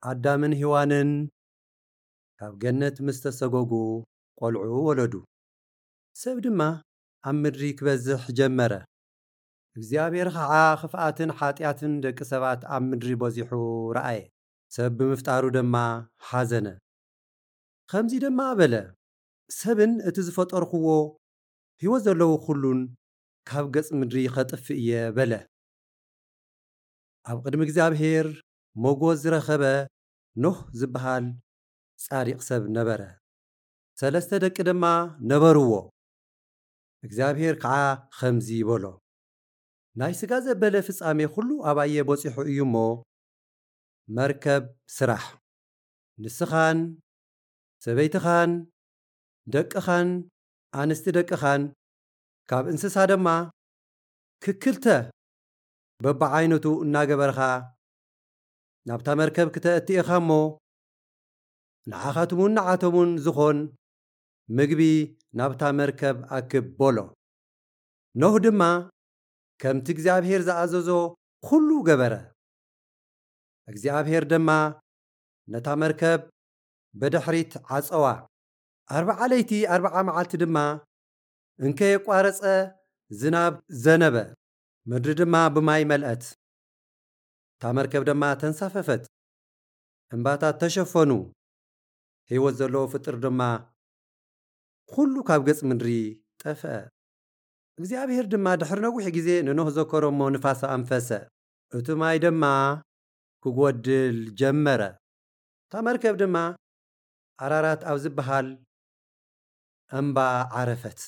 ኣዳምን ሄዋንን ካብ ገነት ምስ ተሰጎጉ ቆልዑ ወለዱ። ሰብ ድማ ኣብ ምድሪ ክበዝሕ ጀመረ። እግዚኣብሔር ኸዓ ኽፍኣትን ሓጢኣትን ደቂ ሰባት ኣብ ምድሪ በዚሑ ረኣየ። ሰብ ብምፍጣሩ ድማ ሓዘነ። ኸምዚ ድማ በለ፣ "ሰብን እቲ ዝፈጠርኽዎ ህይወት ዘለዎ ኹሉን ካብ ገጽ ምድሪ ኸጥፍእ እየ" በለ። ኣብ ቅድሚ እግዚኣብሔር ሞጎስ ዝረኸበ ኖህ ዝበሃል ጻዲቕ ሰብ ነበረ። ሰለስተ ደቂ ድማ ነበርዎ። እግዚኣብሔር ከዓ ኸምዚ በሎ፣ "ናይ ሥጋ ዘበለ ፍጻሜ ኹሉ ኣባየ በጺሑ እዩ እሞ፣ መርከብ ስራሕ። ንስኻን ሰበይትኻን ደቅኻን ኣንስቲ ደቅኻን ካብ እንስሳ ድማ ክክልተ በብዓይነቱ እናገበርኻ ናብታ መርከብ ክተእቲ ኢኻ እሞ፣ ንዓኻትሙን ንዓቶሙን ዝኾን ምግቢ ናብታ መርከብ ኣክብ" በሎ። ኖህ ድማ ከምቲ እግዚኣብሔር ዝኣዘዞ ኹሉ ገበረ። እግዚኣብሔር ድማ ነታ መርከብ ብድሕሪት ዓጸዋ። ኣርብዓ ለይቲ ኣርብዓ መዓልቲ ድማ እንከየቋረጸ ዝናብ ዘነበ፣ ምድሪ ድማ ብማይ መልአት። እታ መርከብ ድማ ተንሳፈፈት፣ እምባታት ተሸፈኑ፣ ህይወት ዘለዎ ፍጥር ድማ ኹሉ ካብ ገጽ ምድሪ ጠፍአ። እግዚኣብሔር ድማ ድሕሪ ነዊሕ ግዜ ንኖህ ዘከሮ እሞ ንፋስ ኣንፈሰ፣ እቲ ማይ ድማ ክጎድል ጀመረ። እታ መርከብ ድማ ኣራራት ኣብ ዝበሃል እምባ ዓረፈት።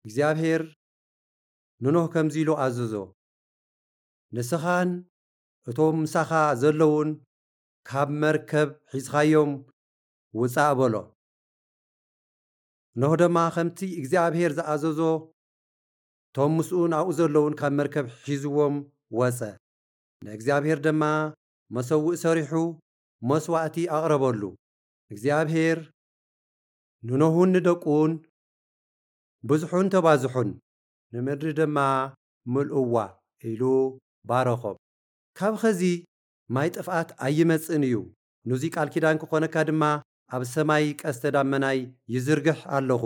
እግዚኣብሔር ንኖህ ከምዚ ኢሉ ኣዘዞ፣ "ንስኻን እቶም ምሳኻ ዘለዉን ካብ መርከብ ሒዝኻዮም ውጻእ" በሎ። ኖህ ድማ ከምቲ እግዚኣብሔር ዝኣዘዞ፣ እቶም ምስኡን ኣብኡ ዘለዉን ካብ መርከብ ሒዝዎም ወጸ። ንእግዚኣብሔር ድማ መሰውእ ሰሪሑ መስዋእቲ ኣቕረበሉ። እግዚኣብሔር ንኖህን ንደቁን፣ "ብዝሑን ተባዝሑን፣ ንምድሪ ድማ ምልእዋ" ኢሉ ባረኾም። ካብ ኸዚ ማይ ጥፍኣት ኣይመጽእን እዩ። ንዙይ ቃል ኪዳን ክኾነካ ድማ ኣብ ሰማይ ቀስተ ዳመናይ ይዝርግሕ ኣለኹ።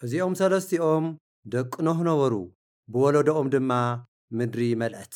እዚኦም ሰለስቲኦም ደቂ ኖህ ነበሩ፣ ብወለዶኦም ድማ ምድሪ መልአት።